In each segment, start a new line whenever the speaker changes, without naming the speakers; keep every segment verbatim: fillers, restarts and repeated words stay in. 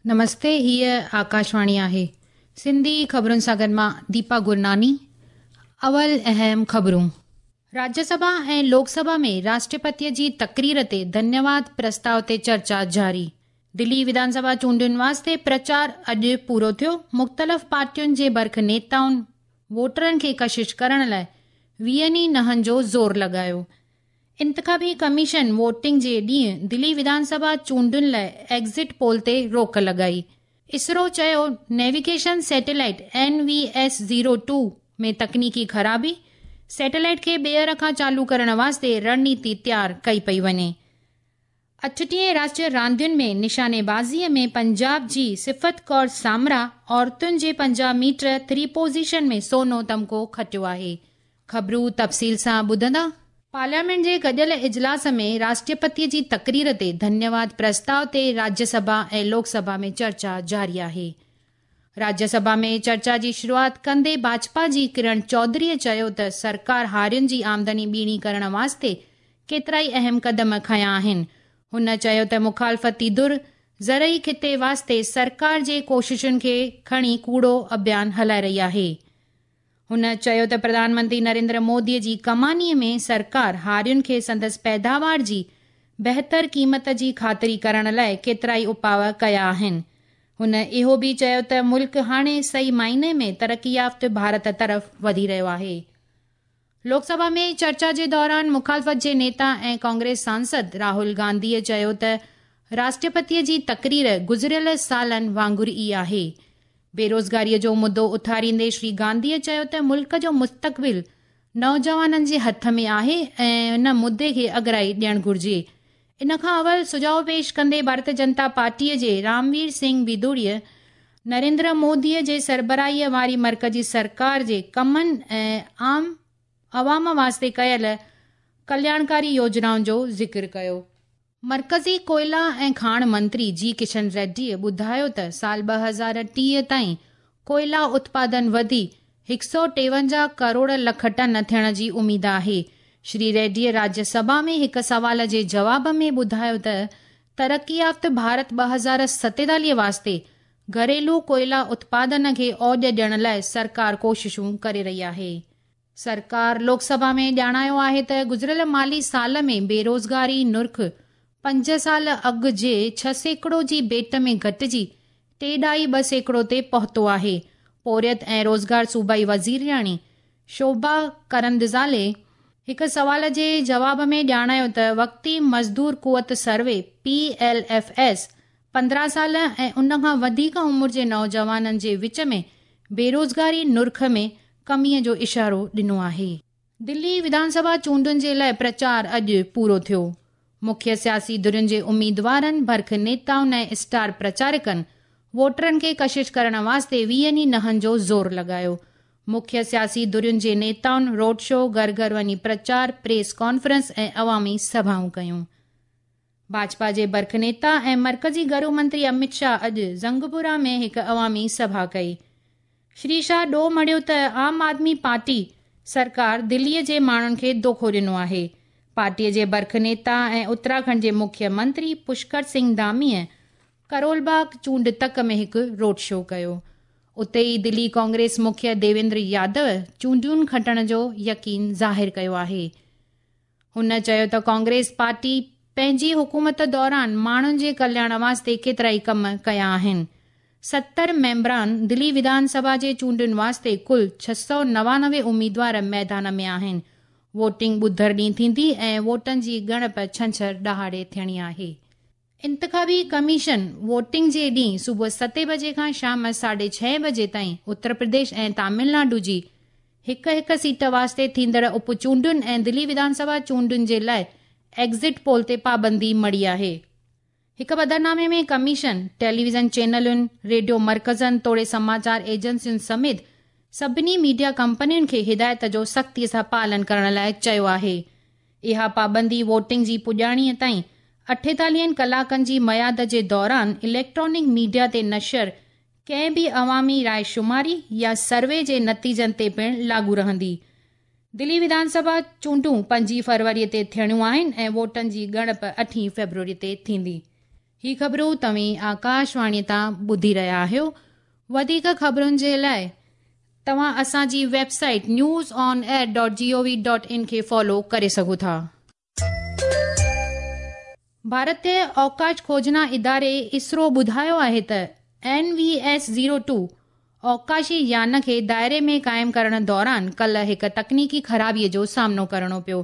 نمستي، هيء آڪاشواڻي آهي. سنڌي خبرن سان گڏ مان ديپا گرناني. اول اهم خبرون. راجيه سڀا ۽ لوڪ سڀا ۾ راشٽرپتيء جي تقرير تي ڌنيواد پرستاءُ تي چرچا جاري. دلي وڌان سڀا چونڊن واسطي پرچار اڄ پورو ٿيو. مختلف پارٽين جي برک نيتائن ووٽرن کي ڪشش ڪرڻ لاءِ ويهن ئي نهن جو زور لڳايو. انتخابي ڪميشن ووٽنگ جي ڏينهن دلي وڌان سڀا چونڊن لاءِ ايگزٽ پول تي روڪ لڳائي. اسرو چيو navigation satellite N V S zero two ۾ تڪنيڪي خرابي، سيٽلائيٽ کي ٻيهر کان چالو ڪرڻ واسطي رڻنيتي تيار ڪئي پئي وڃي. اٺٽيهين راشٽريه راندين ۾ نشانيبازيءَ ۾ پنجاب جي صفت ڪور سامرا عورتن جي پنجاهه ميٽر ٿري پوزيشن ۾ سونو تمغو کٽيو آهي. خبرون تفصيل سان ٻڌندا. پارليامينٽ جي گڏيل اجلاس ۾ راشٽرپتيءَ جي تقرير تي ڌنيواد پرستاءُ تي راجيه سڀا ۽ لوڪ سڀا ۾ چرچا جاري آهي. راجيه سڀا ۾ چرچا جي شروعات ڪندي ڀاجپا جي ڪرڻ چوڌريءَ چيو ته سرڪار هارين جي آمدني ٻيڻي ڪرڻ واسطي ڪيترائي اهم قدم کنيا آهن. هن چيو ته مخالفتي ڌر زرعي خطي واسطي سرڪار جي ڪوششن کي کڻي ڪوڙو اڀيان هلائي رهي آهي. هن چيو ته پرڌان منتري نريندر موديءَ جي ڪمانيءَ ۾ سرڪار هارين کي سندس پيداوار جي بهتر قيمت جي خاطري ڪرڻ لاءِ ڪيترائي اپاءُ ڪيا آهن. هن اهو به چيو ته ملڪ هاڻي صحيح معني ۾ ترقي يافته ڀارت طرف وڌي رهيو آهي. لوڪ سڀا ۾ چرچا جي دوران مخالفت جي نيتا ۽ ڪانگريس سانسد راهول گانڌيءَ چيو ته راشٽرپتيءَ جي تقرير گذريل سالن وانگر ئي آهي. بيروزگاريءَ جو مدو اٿاريندي شري گانڌيءَ چيو ته ملڪ جو مستقبل نوجوانن جي هٿ ۾ آهي ۽ ان مدي کي اڳرائي ڏيڻ گهرجي. ان کان اول سجهاءُ پيش ڪندي ڀارتيه جنتا پارٽيءَ جي راموير سنگهه بڌوڙيءَ نريندر موديءَ جي سربراهيءَ واري مرڪزي سرڪار جي ڪمن ۽ عام عوام واسطي ڪيل ڪلياڻڪاري يوجنائن جو ذڪر ڪيو. مرڪزي ڪوئلا ۽ کاڻ منتري جي ڪشن ريڊيءَ ٻڌايو ته سال ٻه هزار ٽيهه تائين ڪوئلا اتپادن وڌي هڪ سؤ ٽيونجاهه ڪروڙ لک ٽن ٿيڻ جي اميد آهي. شري ريڊيءَ راجيه سڀا ۾ هڪ سوال جي جواب ۾ ٻڌايو ته ترقي يافته ڀارت ٻه هزار ستيتاليهه واسطي گهريلو ڪوئلا اتپادن کي اوڄ ڏيڻ لاءِ سرڪار ڪوششون ڪري رهي آهي. سرڪار لوڪ سڀا ۾ ڄاڻايو آهي ته گذريل مالي سال ۾ بيروزگاري نرخ پنج سال اڳ جي ڇهه سيڪڙو جي ڀيٽ ۾ گهٽجي ٽي ڏهائي ٻه سيڪڙو تي پهتو آهي. پورهيت ۽ روزگار صوبائي وزيرياڻي شوڀا ڪرندزالي هڪ سوال جي جواب ۾ ڄاڻايو ته وقتي مزدور قوت survey P L F S پندرهن سال ۽ ان کان وڌيڪ عمر جي نوجوانن جي وچ ۾ بيروزگاري نرخ ۾ ڪميءَ جو اشارو ڏنو آهي. دلي وڌان سڀا چونڊن جي لاءِ پرچار اڄ پورو ٿيو. مکيه سياسي ڌرين جي اميدوارن، برک نيتائن ۽ اسٽار پرچارڪن ووٽرن کي ڪشش ڪرڻ واسطي ويهن ئي نهن جو زور لڳايو. مکيه سياسي ڌرين جي نيتائن روڊ شو، گهر گهر وڃي پرچار، پريس ڪانفرنس ۽ عوامي سڀائون ڪيون. ڀاجپا جي برک نيتا ۽ مرڪزي گهرو منتري امت شاهه اڄ زنگپورا ۾ هڪ عوامي سڀا ڪئي. شري شاهه ڏوهه مڙهيو ته عام آدمي پارٽي سرڪار دليءَ جي ماڻهن کي دوکو ڏنو آهي. پارٽيءَ جي برک نيتا ۽ اتراکنڊ جي مکيه منتري پشڪر سنگهه ڌاميءَ ڪرول باغ چونڊ تڪ ۾ هڪ روڊ شو ڪيو. اتي ئي دلي ڪانگريس مکيه ديويندر يادو چونڊين کٽڻ جو يقين ظاهر ڪيو آهي. هن چيو ته ڪانگريس پارٽي پنهنجي حڪومت دوران ماڻهن جي ڪلياڻ واسطي ڪيترائي ڪم ڪيا آهن. ستر ميمبران دلي وڌان سڀا جي چونڊن واسطي ڪل ڇهه سؤ نوانوي اميدوار ميدان ۾ آهن. ووٽنگ ٻڌر ڏينهن ٿيندي ۽ ووٽن جي ڳڻپ ڇنڇر ڏهاڙي ٿيڻي آهي. انتخابي ڪميشن ووٽنگ جي ڏينهن صبح ستين بجي کان شام ساڍي ڇهين بجي تائين اتر پرديش ۽ تامل ناڊو جي هڪ هڪ سيٽ واسطي ٿيندڙ اپ چونڊن ۽ دلي وڌان سڀا چونڊن جي لاءِ ايگزٽ پول تي پابندي مڙهي آهي. هڪ پڌرنامي ۾ ڪميشن ٽيليويزن چينلن، ريڊيو مرڪزن توڙي سماچار ايجنسين سميت سڀني ميڊيا ڪمپنين کي هدايت جو سختيءَ سان پالن ڪرڻ لاءِ چيو آهي. اها پابندي ووٽنگ جي پڄاڻيءَ تائين اٺيتاليهن ڪلاڪن جي ميعاد جي دوران اليڪٽرانڪ ميڊيا تي نشر ڪنهن به عوامي راءِ شماري يا سروي جي نتيجن تي پڻ لاڳو رهندي. دلي وڌان سڀا چونڊون پنجين فروريءَ تي ٿيڻيون آهن ۽ ووٽن جي ڳڻپ اٺين فيبروري تي ٿيندي. ही ख़बरूं तव्हीं आकाशवाणी तां ॿुधी रहिया आहियो। वधीक ख़बरुनि जे लाइ तव्हां असांजी website news on air dot G O V dot in खे फॉलो करे सघो था। भारतीय अवकाश खोजना इदारे इसरो ॿुधायो आहे त N V S zero two अवकाशी यान खे दायरे में क़ाइमु करण दौरान कल्ह हिकु तकनीकी ख़राबीअ जो सामनो करिणो पियो।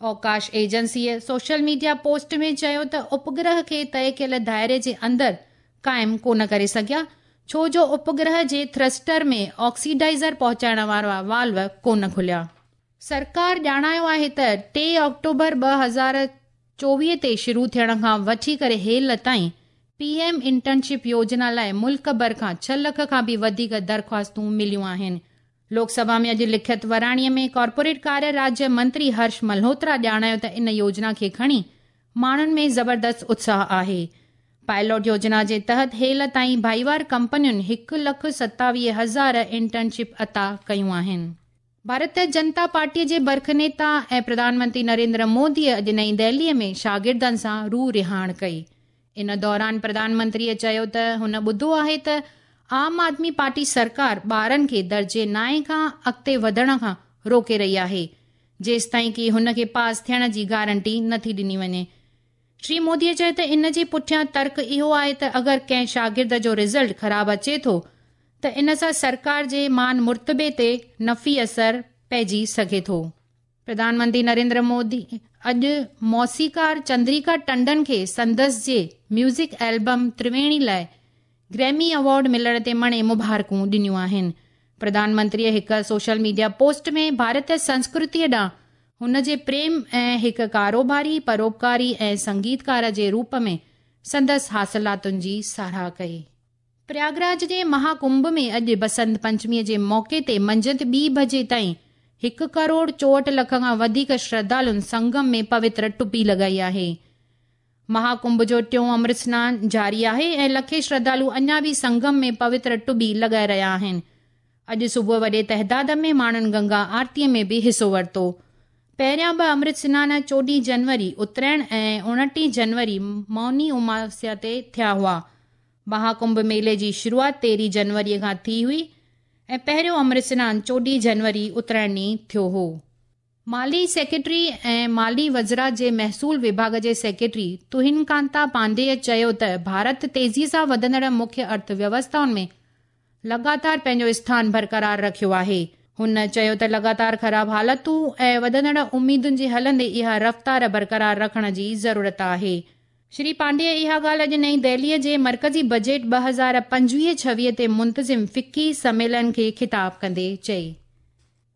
अवकाश एजेंसीअ सोशल मीडिया पोस्ट में चयो त उपग्रह खे तय कयल दायरे जे अंदरि क़ाइमु कोन करे सघिया, छो जो उपग्रह जे थ्रस्टर में ऑक्सीडाइज़र पहुचाइण वारा वाल्व कोन खुलिया। सरकार ॼाणायो आहे त टे ऑक्टोबर ॿ हज़ार चोवीह ते शुरू थियण खां वठी करे हेल ताईं पीएम इंटर्नशिप योजना लाइ मुल्क भर खां छह लख खां बि वधीक दरख़्वास्तूं मिलियूं आहिनि। लोकसभा में अॼु लिखित वराणीअ में कॉर्पोरेट कार्य राज्य मंत्री हर्ष मल्होत्रा ॼाणायो त इन योजना खे खणी माण्हुनि में ज़बरदस्त उत्साह आहे। पायलट योजना जे तहत हेल ताईं भाईवार कंपनियुनि हिकु लख सतावीह हज़ार इंटर्नशिप अता कयूं आहिनि। भारतीय जनता पार्टीअ जे बरख नेता ऐं प्रधानमंत्री नरेंद्र मोदीअ अॼु नई दिल्लीअ में शागिर्दनि सां रूह रिहाण कई। इन दौरान प्रधानमंत्रीअ चयो त हुन ॿुधो आहे त आम आदमी पार्टी सरकार ॿारनि खे दर्जे नाए खां अॻिते वधण खां रोके रही आहे, जेसिताईं की हुन खे पास थियण जी गारंटी नथी ॾिनी वञे। श्री मोदीअ चयो त इन जे पुठियां तर्क इहो आहे त अगरि कंहिं शागिर्द जो रिज़ल्ट ख़राबु अचे थो त इन सां सरकार जे मान मुर्तबे ते नफ़ी असर पइजी सघे थो। प्रधानमंत्री नरेंद्र मोदी अॼु मौसीकार चंद्रिका टंडन खे संदसि जे म्यूज़िक एल्बम त्रिवेणी लाइ ग्रैमी अवॉर्ड मिलण ते मणे मुबारकूं ॾिनियूं आहिनि। प्रधानमंत्रीअ हिकु सोशल मीडिया पोस्ट में भारतीय संस्कृतीअ ॾांहुं हुन जे प्रेम ऐं हिकु कारोबारी, परोपकारी ऐं संगीतकार जे रूप में संदसि हासिलातुनि जी सराह कई। प्रयागराज जे महाकुंभ में अॼु बसंत पंचमीअ जे मौक़े ते मंझंदि ॿी बजे ताईं हिकु करोड़ चोहठि लख खां वधीक श्रद्धालुनि संगम में पवित्र टुपी लॻाई आहे। महाकुंभ जो टियों अमृत स्नान जारी आहे ऐं लखे श्रद्धालु अञा बि संगम में पवित्र टुबी लॻाए रहिया आहिनि। अॼु सुबुह वॾे तइदाद में माण्हुनि गंगा आरतीअ में बि हिसो वरितो। पहिरियां ॿ अमृत स्नान चोॾहीं जनवरी उत्तरायण ऐं उणिटीह जनवरी मौनी उमावस्या ते थिया हुआ। महाकुंभ मेले जी शुरूआत तेरहीं जनवरीअ खां थी हुई ऐं पहिरियों अमृत स्नान चोॾहीं जनवरी उत्तरायण ॾींहुं थियो हो। माली सेक्रेटरी ऐं माली वज़रा जे महसूल विभाग जे सेक्रेटरी तुहिन कांता पांडेय चयो त भारत तेज़ीअ सां वधंदड़ मुख्य अर्थव्यवस्थाउनि में लगातार पंहिंजो स्थान बरक़रार रखियो आहे। हुन चयो त लगातार ख़राब हालतूं ऐं वधंदड़ उम्मीदुनि जे हलंदे इहा रफ़्तार बरक़रार रखण जी ज़रूरत आहे। श्री पांडेय इहा ॻाल्हि अॼु नई दिल्लीअ जे मर्कज़ी बजट ॿ हज़ार पंजवीह छवीह ते मुंतज़िम फ़िक्की सम्मेलन खे ख़िताब कंदे चई।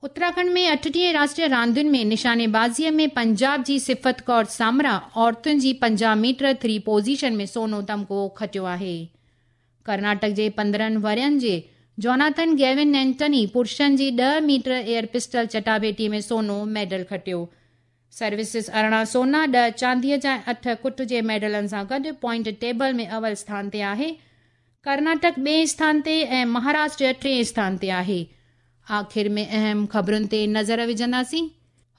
उत्तराखंड में अठटीह राष्ट्रीय रांदियुनि में निशानेबाज़ीअ में पंजाब जी सिफ़त कौर सामरा औरतुनि जी पंजाह मीटर थ्री पोज़ीशन में सोनो तमगो खटियो आहे। कर्नाटक जे पंद्रहं वरियनि जे जोनाथन गेविन एंटनी पुरुषनि जी ॾह मीटर एयर पिस्टल चटाभेटी में सोनो मेडल खटियो। सर्विसिस अरिड़हं सोना, ॾह चांदीअ जा अठ कुट जे मेडलनि सां गॾु पॉइंट टेबल में अवल स्थान ते आहे। कर्नाटक ॿिए स्थान ते ऐं महाराष्ट्र टिएं स्थान ते आहे। आख़िर में अहम ख़बरुनि ते नज़र विझंदासीं।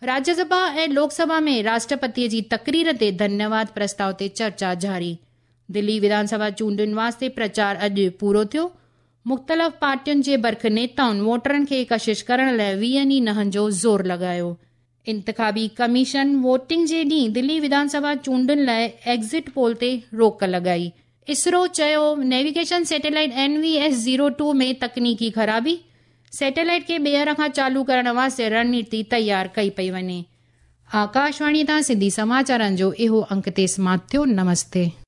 राज्यसभा ऐं लोकसभा में राष्ट्रपतीअ जी तकरीर ते धन्यवाद प्रस्ताव ते चर्चा जारी। दिल्ली विधानसभा चूंडुनि वास्ते प्रचार अॼु पूरो थियो। मुख़्तलिफ़ पार्टियुनि जे बरख नेताउनि वोटरनि खे कशिश करण लाइ वीहनि नहनि जो ज़ोर लॻायो। इंतिखाबी कमीशन वोटिंग जे ॾींहुं दिल्ली विधानसभा चूंडुनि लाइ एग्ज़िट पोल ते रोक लॻाई। इसरो चयो navigation satellite N V S zero two में तकनीकी ख़राबी, सैटेलाइट खे ॿीहर खां चालू करण वास्ते रणनीति तयारु कई पई वञे। आकाशवाणी तां सिंधी समाचारनि जो इहो अंक ते समाप्त थियो। नमस्ते।